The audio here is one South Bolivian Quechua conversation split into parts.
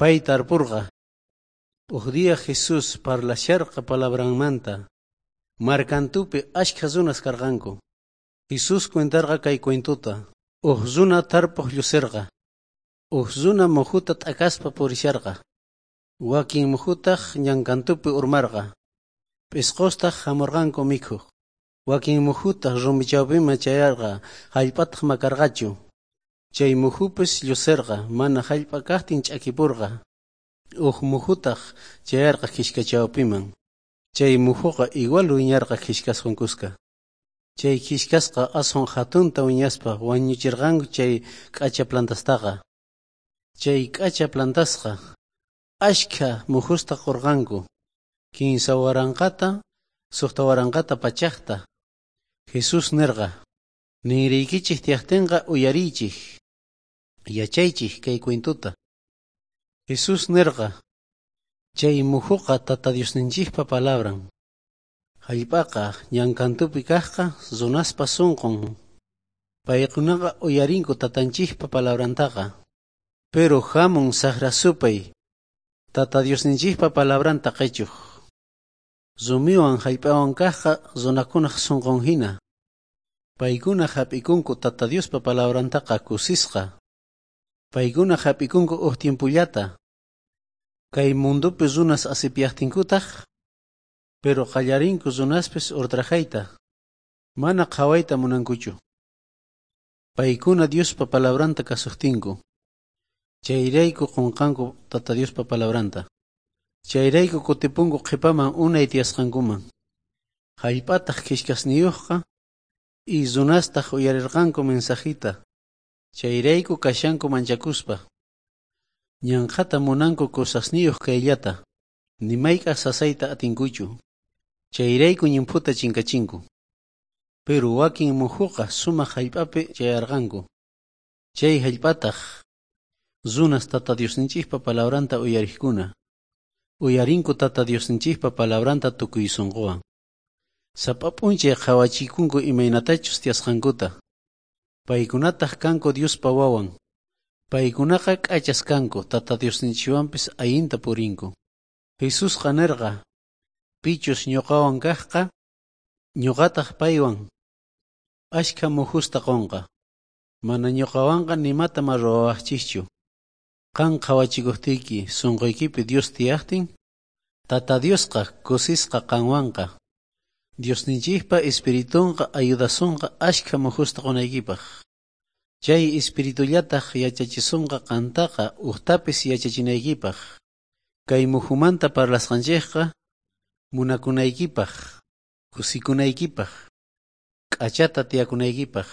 Pay tarpurqa. Uj día Jesús parlasharqa palabranmanta. Markantupi ashkha runas karqanku. Jesús cuentarqa kay cuentuta. Uj runa tarpuq llusirqa. Uj runa mujuta t'akaspa purisharqa. Wakin mujutaq ñankantupi urmarqa. P'isqustaq hamurqanku mikhuq. Wakin mujutaq rumi chawpiman chayarqa, hallp'ataq makarqachu. Chay mujupis llusirqa, mana hallp'a kaqtin ch'akipurqa. Uj mujutaq chayarqa khishka chawpiman. Chay mujuqa igual wiñarqa khishkaswan kuska. Chay khishkasqa aswan hatunta wiñaspa wañuchirqanku chay k'acha plantastaqa. Chay k'acha plantasqa ashkha mujusta qurqanku. 3000ta, 6100 pachaqta. Jesús nirqa: Ninriykichik tiyaqtinqa uyariychik. Yachaychik kay cuentuta. Jesús nirqa: Chay mujuqa Tata Diosninchikpa palabran. Hallp'aqa ñankantupi kaqqa runaspa sunqun. Paykunaqa uyarinku tatanchikpa palabrantaqa. Pero hamun saqra supay Tata Diosninchikpa palabranta qichuq. Rumiwan hallp'awan kaqqa runakunaq sunqun hina. Paykuna hap'ikunku Tata Diospa palabrantaqa kusisqa. Paykuna hap'ikunku uj tiempullata. Kay mundupi runas asipyaqtinkutaq, pero qallarinku runaspis urtrajayta. Mana qhawayta munankuchu. Paykuna Diospa palabranta kasuqtinku. Chayrayku qunqanku Tata Diospa palabranta. Chayrayku kutipunku qhipaman unay tiyasqankuman. Hallp'ataq khishkasniyuqqa y runastaq uyarirqanku mensajita. Chayrayku kashanku manchakuspa. Ñanqata munanku cosasniyuq kayllata. Ni mayk'aq sasayta atinkuchu. Chayrayku ñimphuta chinkachinku. Pero wakin mujuqa sumaq hallp'api chayarqanku. Chay hallp'ataq runas Tata Diosninchikpa palabranta uyariqkuna. Uyarinku Tata Diosninchikpa palabranta tukuy sunquwan. Sapa p'unchay qhawachikunku imaynatachus tiyasqankuta. Paykunataq kanku Diospa wawan. Paykunaqa k'achas kanku Tata Diosninchikwanpis allinta purinku. Jesusqa nirqa: Pichus ñuqawan kaqqa, ñuqataq paywan. Ashkha mujusta qunqa. Mana ñuqawanqa nimata ma ruwawaqchischu. Qan qhawachikuqtiyki sunquykipi Dios tiyaqtin, Tata Diosqa kusisqa qanwanqa. Diosninchikpa espiritunqa ayudasunqa ashkha mujusta qunaykipaq. Chay espiritullataq yachachisunqa qantaqa uqtapis yachachinaykipaq. Kay mujumanta parlasqanchikqa munakunaykipaq, kusikunaykipaq, k'achata tiyakunaykipaq,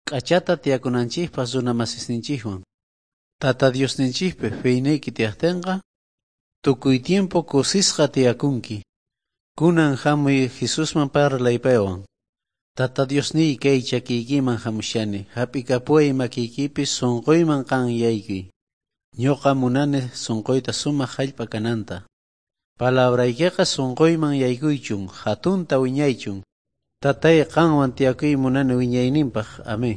k'achata tiyakunanchikpaq runa masisninchikwan. Tata Diosninchikpi feyniyki tiyaqtinqa, tukuy tiempo kusisqa tiyakunki. Kunan hamuy Jesusman parlay paywan. Tata Diosniy kay chakiykiman hamushani, hap'ikapuway makiykipi sunquyman qan yaykuy. Ñuqa munani sunquyta sumaq hallp'a kananta. Palabraykiqa sunquyman yaykuychun, hatunta wiñaychun. Tatay qanwan tiyakuy munani wiñayninpaq. Amén.